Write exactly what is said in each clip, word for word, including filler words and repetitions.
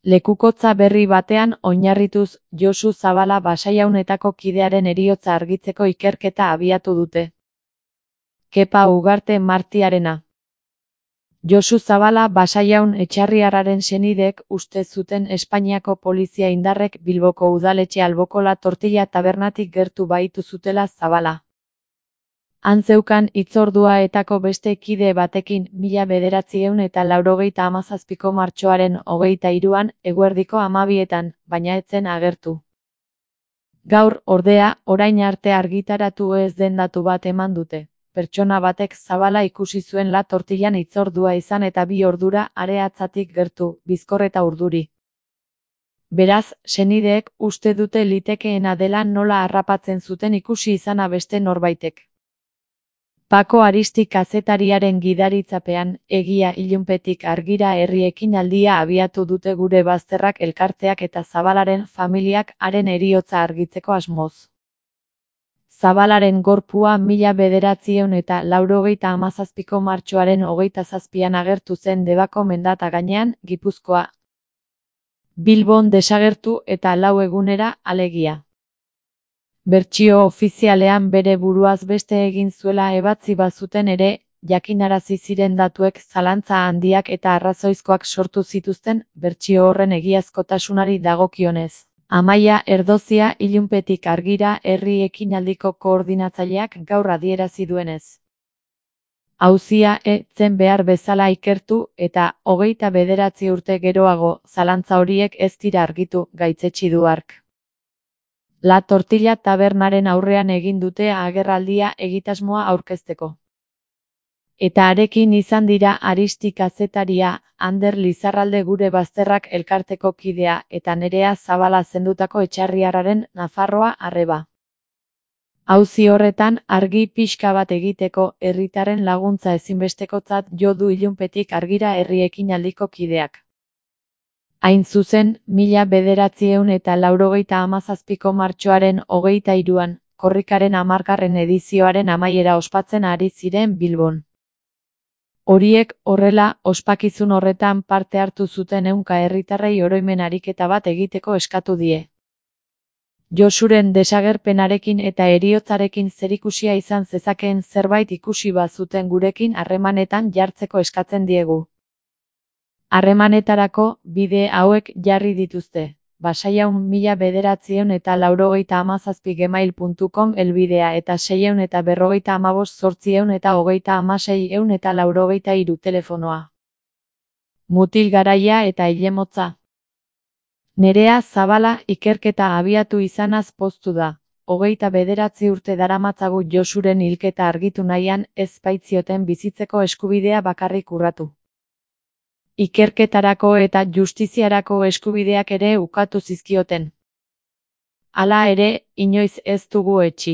Lekukotza berri batean oinarrituz Josu Zabala Basaiaunetako kidearen heriotza argitzeko ikerketa abiatu dute. Kepa Ugarte Martiarena. Josu Zabala Basaiaun etxarriarraren senideek uste zuten Espainiako polizia indarrek Bilboko udaletxe alboko La Tortilla tabernatik gertu bahitu zutela Zabala. Han zeukan hitzordua etako beste kide batekin mila bederatziehun eta laurogeita hamazazpiko martxoaren hogeita hiruan eguerdiko hamabietan, baina ez zen agertu. Gaur, ordea, orain arte argitaratu ez den datu bat eman dute. Pertsona batek Zabala ikusi zuen La Tortillan hitzordua izan eta bi ordura areatzatik gertu, bizkor eta urduri. Beraz, senideek uste dute litekeena dela nola harrapatzen zuten ikusi izana beste norbaitek. Pako Aristi kazetariaren gidaritzapean, egia ilunpetik argira herri ekinaldia abiatu dute Gure Bazterrak elkarteak eta Zabalaren familiak haren heriotza argitzeko asmoz. Zabalaren gorpua mila bederatziehun eta laurogeita hamazazpiko martxoaren hogeita zazpian agertu zen Debako mendata gainean, Gipuzkoa. Bilbon desagertu eta lau egunera, alegia. Bertsio ofizialean bere buruaz beste egin zuela ebatzi bazuten ere, jakinarazi ziren datuek zalantza handiak eta arrazoizkoak sortu zituzten, bertsio horren egiazkotasunari dagokionez. Amaia Erdozia ilunpetik argira herri ekinaldiko koordinatzaileak gaur adierazi duenez. Auzia ez zen behar bezala ikertu eta hogeita bederatzi urte geroago zalantza horiek ez dira argitu, gaitzetsi du hark. La Tortilla tabernaren aurrean egin dute agerraldia egitasmoa aurkezteko. Eta harekin izan dira Aristi kazetaria, Ander Lizarralde Gure Bazterrak elkarteko kidea eta Nerea Zabala zendutako etxarriarraren Nafarroa arreba. Auzi horretan argi pixka bat egiteko herritarren laguntza ezinbestekotzat jo du ilunpetik argira herri ekinaldiko kideak. Hain zuzen, mila bederatziehun eta laurogeita hamazazpiko martxoaren hogeita hiruan, korrikaren hamargarren edizioaren amaiera ospatzen ari ziren Bilbon. Horiek horrela, ospakizun horretan parte hartu zuten ehunka herritarrei oroimen ariketa bat egiteko eskatu die. Josuren desagerpenarekin eta heriotzarekin zerikusia izan zezakeen zerbait ikusi bazuten gurekin harremanetan jartzeko eskatzen diegu. Harremanetarako bide hauek jarri dituzte. Basaiaun mila bederatziehun eta laurogeita hamazazpi gmail puntu com elbidea eta seiehun eta berrogeita hamabost zortziehun eta hogeita hamaseiehun eta laurogeita hiru telefonoa. Mutil garaia eta ilemotza. Nerea Zabala ikerketa abiatu izanaz poztu da. Hogeita bederatzi urte daramatzagu Josuren hilketa argitu nahian ez baitzioten bizitzeko eskubidea bakarrik urratu. Ikerketarako eta justiziarako eskubideak ere ukatu zizkioten. Hala ere, inoiz ez dugu etsi.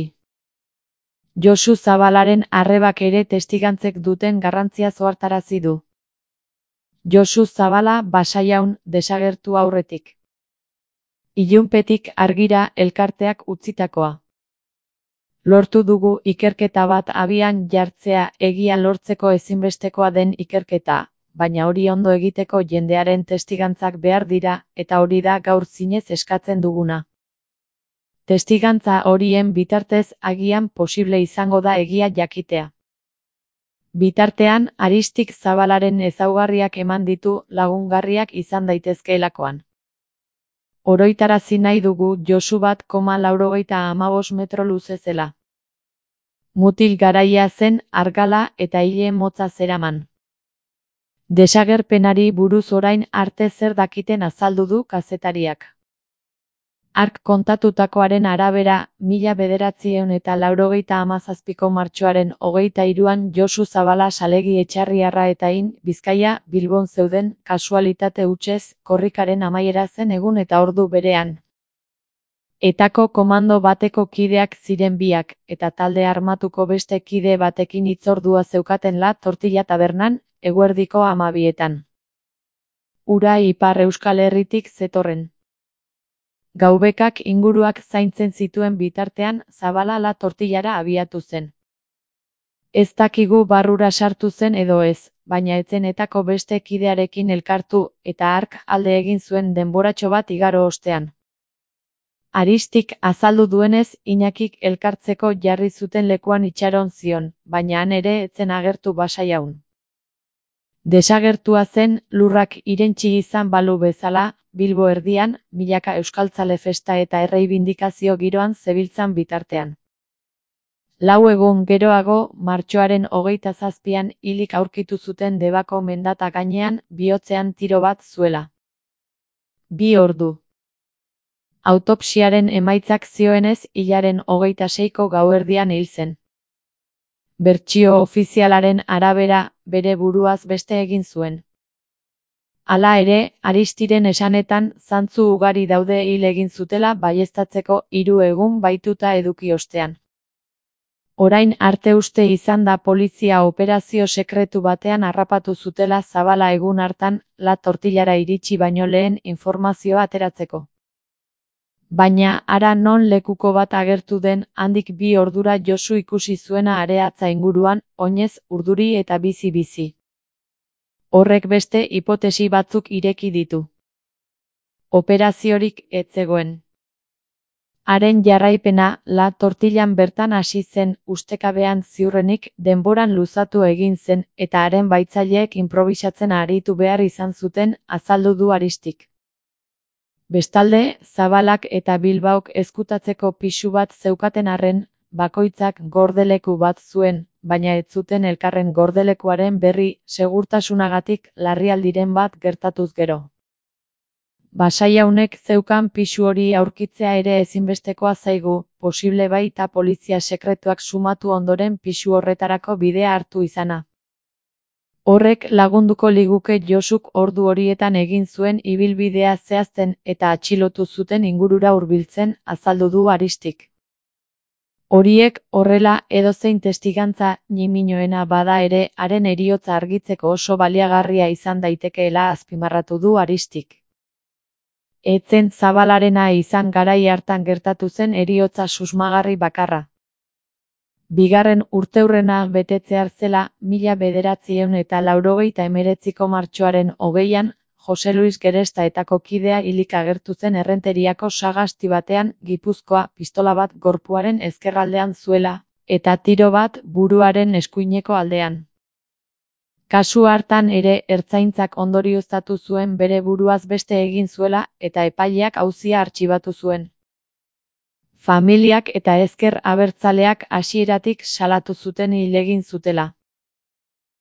Josu Zabalaren arrebak ere testigantzek duten garrantzia ohartarazi du. Josu Zabala Basaiaun desagertu aurretik. Ilunpetik argira elkarteak utzitakoa. Lortu dugu ikerketa bat abian jartzea egia lortzeko ezinbestekoa den ikerketa. Baina hori ondo egiteko jendearen testigantzak behar dira, eta hori da gaur zinez eskatzen duguna. Testigantza horien bitartez agian posible izango da egia jakitea. Bitartean, Aristik Zabalaren ezaugarriak eman ditu lagungarriak izan daitezkeelakoan. Oroitarazi nahi dugu Josu bat koma laurogeita hamabost metro luze zela. Mutil garaia zen, argala eta ile motza zeraman. Desagerpenari buruz orain arte zer dakiten azaldu du kazetariak. Hark kontatutakoaren arabera, mila bederatziehun eta laurogeita hamazazpiko martxoaren hogeita hiruan Josu Zabala salegi etxarriarra eta in, Bizkaia, Bilbon zeuden, kasualitate hutsez, korrikaren amaiera zen egun eta ordu berean. Etako komando bateko kideak ziren biak, eta talde armatuko beste kide batekin hitzordua zeukaten La Tortilla tabernan, eguerdiko hamabietan. Ura Ipar Euskal Herritik zetorren. Gaubekak inguruak zaintzen zituen bitartean, Zabala La Tortillara abiatu zen. Ez dakigu barrura sartu zen edo ez, baina etzenetako beste kidearekin elkartu eta hark alde egin zuen denboratxo bat igaro ostean. Aristik azaldu duenez, Iñakik elkartzeko jarri zuten lekuan itxaron zion, baina han ere etzen agertu Basaiaun. Desagertua zen, lurrak irentsi izan balu bezala, Bilbo erdian, milaka euskaltzale festa eta erreibindikazio giroan zebiltzan bitartean. Lau egun geroago, martxoaren hogeita zazpian hilik aurkitu zuten Debako mendata gainean, bihotzean tiro bat zuela. Bi ordu. Autopsiaren emaitzak zioenez, hilaren hogeita seiko gauerdian hil zen. Bertsio ofizialaren arabera, bere buruaz beste egin zuen. Hala ere, Aristiren esanetan, zantzu ugari daude hil egin zutela baieztatzeko hiru egun baituta eduki ostean. Orain arte uste izan da polizia operazio sekretu batean harrapatu zutela Zabala egun hartan, La Tortillara iritsi baino lehen informazioa ateratzeko. Baina, hara non lekuko bat agertu den, handik bi ordura Josu ikusi zuena areatza inguruan, oinez, urduri eta bizi-bizi. Horrek beste hipotesi batzuk ireki ditu. Operaziorik ez zegoen. Haren jarraipena, La Tortillan bertan hasi zen, ustekabean ziurrenik, denboran luzatu egin zen, eta haren baitzaileek inprobisatzen aritu behar izan zuten, azaldu du Aristik. Bestalde, Zabalak eta Bilbaok ezkutatzeko pisu bat zeukaten arren, bakoitzak gordeleku bat zuen, baina ez zuten elkarren gordelekuaren berri, segurtasunagatik larrialdiren bat gertatuz gero. Basaiaunek zeukan pisu hori aurkitzea ere ezinbestekoa zaigu, posible baita polizia sekretuak sumatu ondoren pisu horretarako bidea hartu izana. Horrek lagunduko liguke Josuk ordu horietan egin zuen ibilbidea zehazten eta atxilotu zuten ingurura hurbiltzen, azaldu du Aristik. Horiek, horrela, edozein testigantza ñiminoena bada ere, haren heriotza argitzeko oso baliagarria izan daitekeela azpimarratu du Aristik. Etzen Zabalarena izan garai hartan gertatu zen heriotza susmagarri bakarra. Bigarren urteurrena betetzear zela, mila bederatziehun eta laurogeita hemeretziko martxoaren hogeian, Jose Luis Geresta etako kidea hilik agertu zen Errenteriako sagasti batean, Gipuzkoa, pistola bat gorpuaren ezkerraldean zuela, eta tiro bat buruaren eskuineko aldean. Kasu hartan ere ertzaintzak ondorioztatu zuen bere buruaz beste egin zuela eta epaileak auzia artxibatu zuen. Familiak eta ezker abertzaleak hasieratik salatu zuten hil egin zutela.